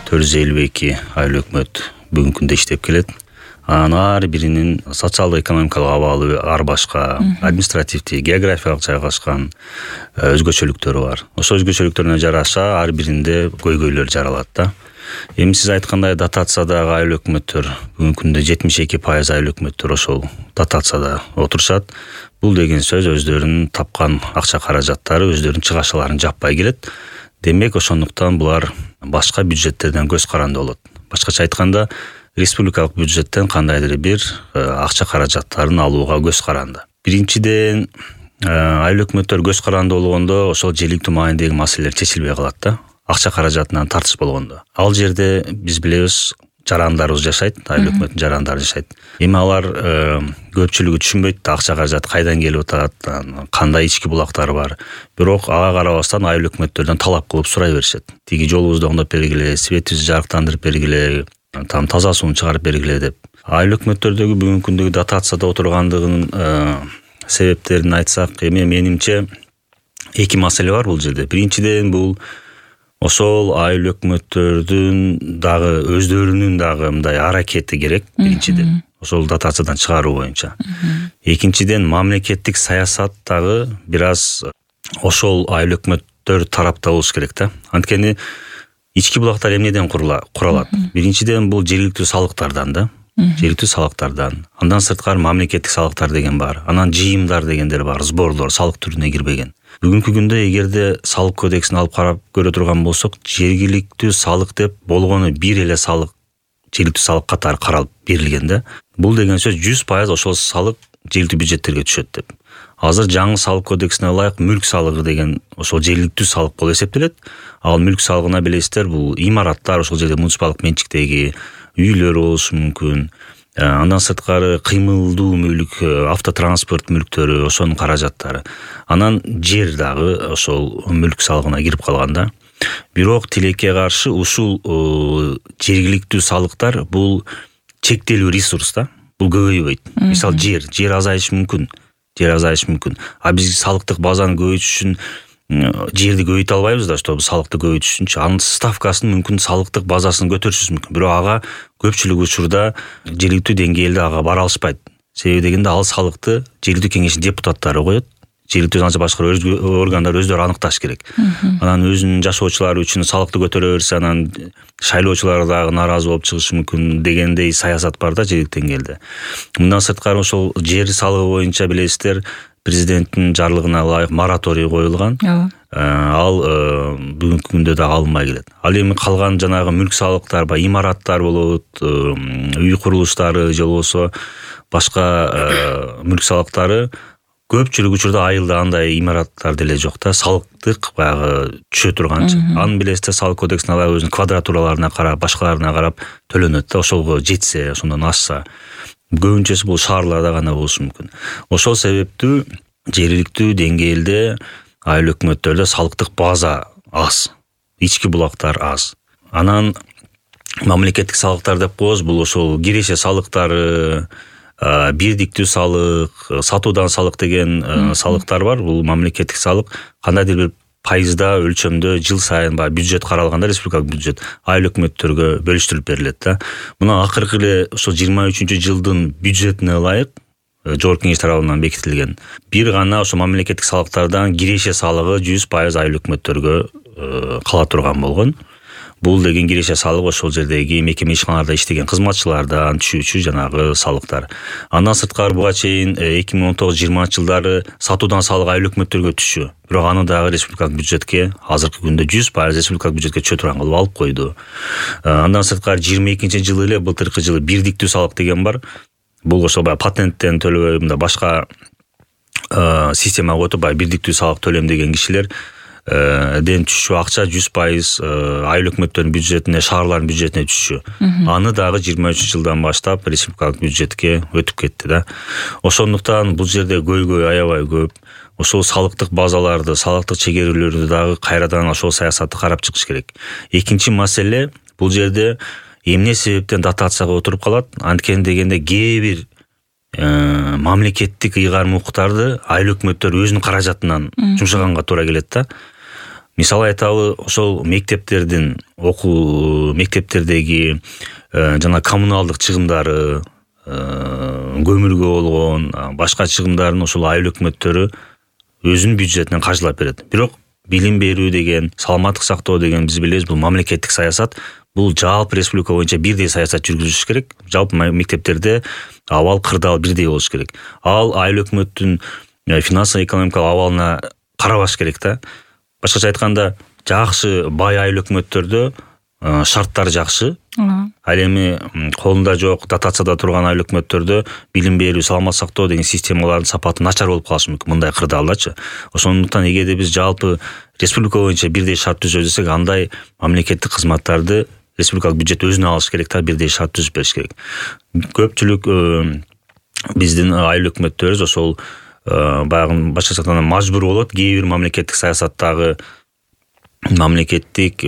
452 айыл өкмөт бүгүнкү күндө иштеп келет. Анын ар биринин социалдык экономикалык абалы ар башка, административдик, географиялык жайгашкан өзгөчөлүктөрү бар. Ошол өзгөчөлүктөрүнө жараша ар биринде көйгөйлөр жаралат да. Эми сиз айткандай дотациядагы айыл өкмөттөр бүгүнкү күндө 72% айыл өкмөттөр ошол дотацияда отурушат. Бул деген сөз өздөрүнүн тапкан акча каражаттары өздөрүнүн чыгашаларын жаппай келет. Демек ошондуктан булар башка бюджеттерден көз каранды болот. Башкача айтканда, республикалык бюджеттен кандайдыр бир акча каражаттарын алууга көз каранды. Биринчиден, айыл өкмөттөр көз каранды болгондо ошол жергиликтүү маанидеги маселелер чечилбей калат да. Акча каражатынан тартыш болгондо. Ал жерде биз билебиз, жарандарыбыз жашайт, айыл өкмөттүн жарандары жашайт. Эми алар көпчүлүгү түшүнбөйт да акча каражат кайдан келип атат, кандай ички булактар бар. Бирок ага карабастан айыл өкмөттөрдөн талап кылып сурай беришет. Тиги жолубузду оңдоп бергиле, светибизди жарыктандырып бергиле, таза сууну чыгарып бергиле деп. Айыл өкмөттөрдөгү бүгүнкү күндөгү дотацияда отургандыгынын себептерин айтсак, эми менимче эки маселе бар бул жерде. Биринчиден, бул ошол айыл өкмөттөрдүн дагы өздөрүнүн дагы мындай аракети керек биринчиден. Ошол дотациядан чыгаруу боюнча. Экинчиден, мамлекеттик саясат дагы бир аз ошол айыл өкмөттөр тарапта болуш керек да. Анткени ички булактар эмнеден куралат? Биринчиден, бул жергиликтүү салыктардан да. Жергиликтүү салыктардан. Андан сырткары мамлекеттик салыктар деген бар. Анан жыйымдар дегендер бар, сборлор, салык түрүнө кирбеген. Бүгүнкү күндө эгерде салык кодексин алып карап көрө турган болсок, жергиликтүү салык деп болгону бир эле салык, жергиликтүү салык катары каралып берилген да. Бул деген сөз 100% ошол салык жергиликтүү бюджеттерге түшөт деп. Азыр жаңы салык кодексине ылайык мүлк салыгы деген ошол жергиликтүү салык болуп эсептелет. Ал мүлк салыгына билесиздер, бул имараттар, ошол жерде муниципалдык менчиктеги үйлөр болушу мүмкүн. Андан сырткары кыймылдуу мүлк, автотранспорт мүлктөрү, ошонун каражаттары. Анан жер дагы ошол мүлк салыгына кирип калган да. Бирок тилекке каршы ушул жергиликтүү салыктар бул чектелүү ресурс да. Бул көбөйбөйт. Мисалы жер азайышы мүмкүн. А биз салыктык базаны көбөйтүш үчүн жерди көбөйтө албайбыз да, чтобы салыкты көбөйтүш үчүнчү. Анын ставкасын мүмкүн салыктык базасын көтөрүшүбүз мүмкүн. Бирок ага көпчүлүк учурда жергиликтүү деңгээлде ага бара алышпайт. Себеби дегенде ал салыкты жергиликтүү кеңештин депутаттары коет. Жергиликтүү заң башкаруу органдар өздөрү аныкташ керек. Анан өзүнүн жашоочулары үчүн салыкты көтөрө берсе, анан шайлоочулар дагы нааразы болуп чыгышы мүмкүн дегендей саясат бар да жергиликтүү деңгээлде. Мындан сырткары ошол жер салыгы боюнча билесиздер, президенттин жарлыгына ылайык мораторий коюлган. Ал бүгүнкү күндө да алынбай келет. Ал эми калган жанагы мүлк салыктар, имараттар болот, үй курулуштары же болбосо башка мүлк салыктары көпчүлүк учурда айылда андай имараттар деле жок да, салыктык баягы түшө турганчы. Анын билесиздер, салык кодексине ылайык өзүнүн квадратураларына карап, башкаларына карап төлөнөт да, ошого жетсе, ошондон ашса. Көбүнчөсү бул шаарларда гана болушу мүмкүн. Ошол себептүү жергиликтүү деңгээлде айыл өкмөттөрдө салыктык база аз, ички булактар аз. Анан мамлекеттик салыктар деп коебуз, бул ошол киреше салыктары, бирдиктүү салык, сатуудан салык деген салыктар бар. Бул мамлекеттик салык кандайдыр бир пайызда өлчөмдө жыл сайын бюджет каралганда, республикалык бюджет айыл өкмөттөргө бөлүштүрүп берилет да. Мына акыркы эле ошол 23-жылдын бюджетине ылайык Жогорку Кеңеш тарабынан бекитилген. Бир гана ошо мамлекеттик салыктардан киреше салыгы 100% айыл өкмөттөргө кала турган болгон. Бул деген киреше салыгы ошол жердеги мекеме ишканаларда иштеген кызматчылардан түшүүчү жанагы салыктар. Андан сырткары буга чейин 2019-20 жылдары сатуудан салык айыл өкмөттөргө түшчү. Бирок аны дагы республикалык бюджетке азыркы күндө 100% республикалык бюджетке түшө турган кылып алып койду. Андан сырткары 22-жылы эле былтыркы жылы бирдиктүү салык деген бар. Бул ошол патенттен төлөбөй, мында башка система коюп бирдиктүү салык төлөм деген кишилер ден түшчү акча 100% айыл өкмөттөрүнүн бюджетине, шаарлардын бюджетине түшчү. Аны дагы 23-жылдан баштап республикалык бюджетке өтүп кетти да. Ошондуктан бул жерде көйгөй аябай көп. Ошол салыктык базаларды, салыктык чегерүүлөрдү дагы кайрадан ошол саясатты карап чыгыш керек. Экинчи маселе, бул жерде эмне себептен дотацияга отуруп калат? Анткени дегенде кээ бир мамлекеттик ыйгарым укуктарды айыл өкмөттөр өзүнүн каражатынан жумшаганга туура келет да. Мисалы айталы, ошол мектептердеги жана коммуналдык чыгымдары, көмүргө болгон башка чыгымдарын ошол айыл өкмөттөрү өзүнүн бюджетинен каржылап берет. Бирок билим берүү деген, саламаттык сактоо деген биз билебиз, бул мамлекеттик саясат. Бул жалпы республика боюнча бирдей саясат жүргүзүш керек. Жалпы мектептерде абал кырдаал бирдей болуш керек. Ал айыл өкмөттүн финансылык-экономикалык абалына карабаш керек да. Башкача айтканда, жакшы бай айыл өкмөттөрдө шарттар жакшы. Ал эми колунда жок, дотацияда турган айыл өкмөттөрдө билим берүү, саламаттык сактоо деген системалардын сапаты начар болуп калышы мүмкүн мындай кырдаалдачы. Ошондуктан эгерде биз жалпы республика боюнча бирдей шарт түзөбүз десек, андай мамлекеттик кызматтарды республикалык бюджет өзүнө алыш керек да, бирдей шарт түзүп бериш керек. Көпчүлүк биздин айыл өкмөттөрүбүз ошол баягы башкача айтканда мажбур болот, кээ бир мамлекеттик саясаттагы мамлекеттик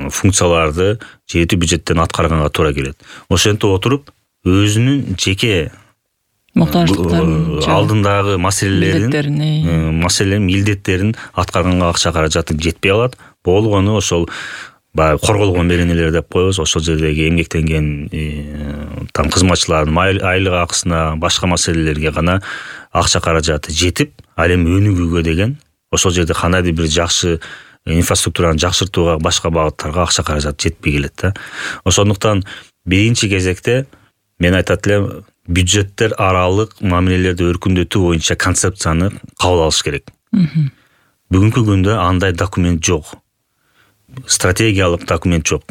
функцияларды жетүү бюджеттен аткарганга туура келет. Ошентип отуруп өзүнүн жеке муктаждыктарын, алдындагы маселелерин, милдеттерин аткарганга акча каражаты жетпей калат. Болгону ошол баягы корголгон беренелер деп коебуз, ошол жердеги эмгектенген кызматчылардын айлык акысына, башка маселелерге гана акча каражаты жетип, ал эми өнүгүүгө деген, ошол жерде кандайдыр бир жакшы инфраструктураны жакшыртууга, башка багыттарга акча каражат жетпей келет да. Ошондуктан биринчи кезекте мен айтат элем, бюджеттер аралык мамилелерди өркүндөтүү боюнча концепцияны кабыл алыш керек. Бүгүнкү күндө андай документ жок. Стратегиялык документ жок.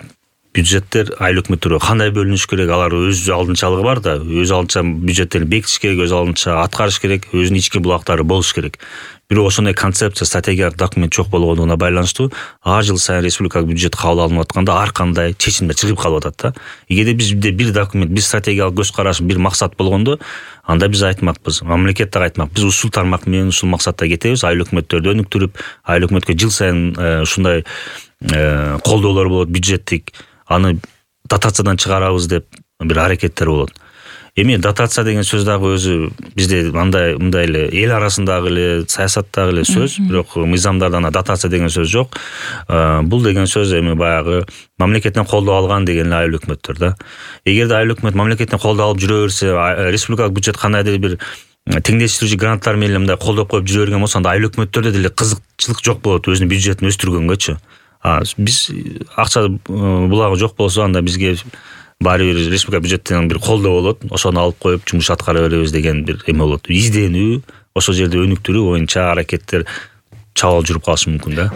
Бюджеттер айыл өкмөттөргө кандай бөлүнүш керек, алар өз алдынчалыгы бар да, өз алдынча бюджеттерин бекитиш керек, өз алдынча аткарыш керек, өзүнүн ички булактары болуш керек. Бирок ошондой концепция, стратегиялык документ жок болгондугуна байланыштуу ар жыл сайын республикалык бюджет кабыл алынып атканда ар кандай чечимдер чыгып калып атат да. Эгерде бизде бир документ, бир стратегиялык көз караш, бир максат болгондо, анда биз айтмакпыз, мамлекет так айтмак, биз ушул тармак менен ушул максатта кетебиз, айыл өкмөттөрдү өнүктүрүп, айыл өкмөткө жыл сайын ушундай колдоолор болот, бюджеттик, аны дотациядан чыгарабыз деп бир аракеттер болот. Эми дотация деген сөз дагы өзү бизде мындай эле эл арасындагы эле, саясаттагы эле сөз, бирок мыйзамдарда дотация деген сөз жок. Бул деген сөз эми баягы мамлекеттен колдоо алган деген айыл өкмөттөр да. Эгерде айыл өкмөт мамлекеттен колдоо алып жүрө берсе, республикалык бюджет кандайдыр бир теңдештирүүчү гранттар менен мындай колдоп коюп жүрө берген болсо, анда айыл өкмөттөрдө деле кызыкчылык жок болот өзүнүн бюджетин өстүргөнгөчү. Биз акча булагы жок болсо, анда бизге баары бир республика бюджеттен бир колдоо болот, ошону алып коюп жумуш аткара беребиз деген бир эме болот. Изденүү, ошол жерде өнүктүрүү боюнча аракеттер чабал жүрүп калышы мүмкүн да.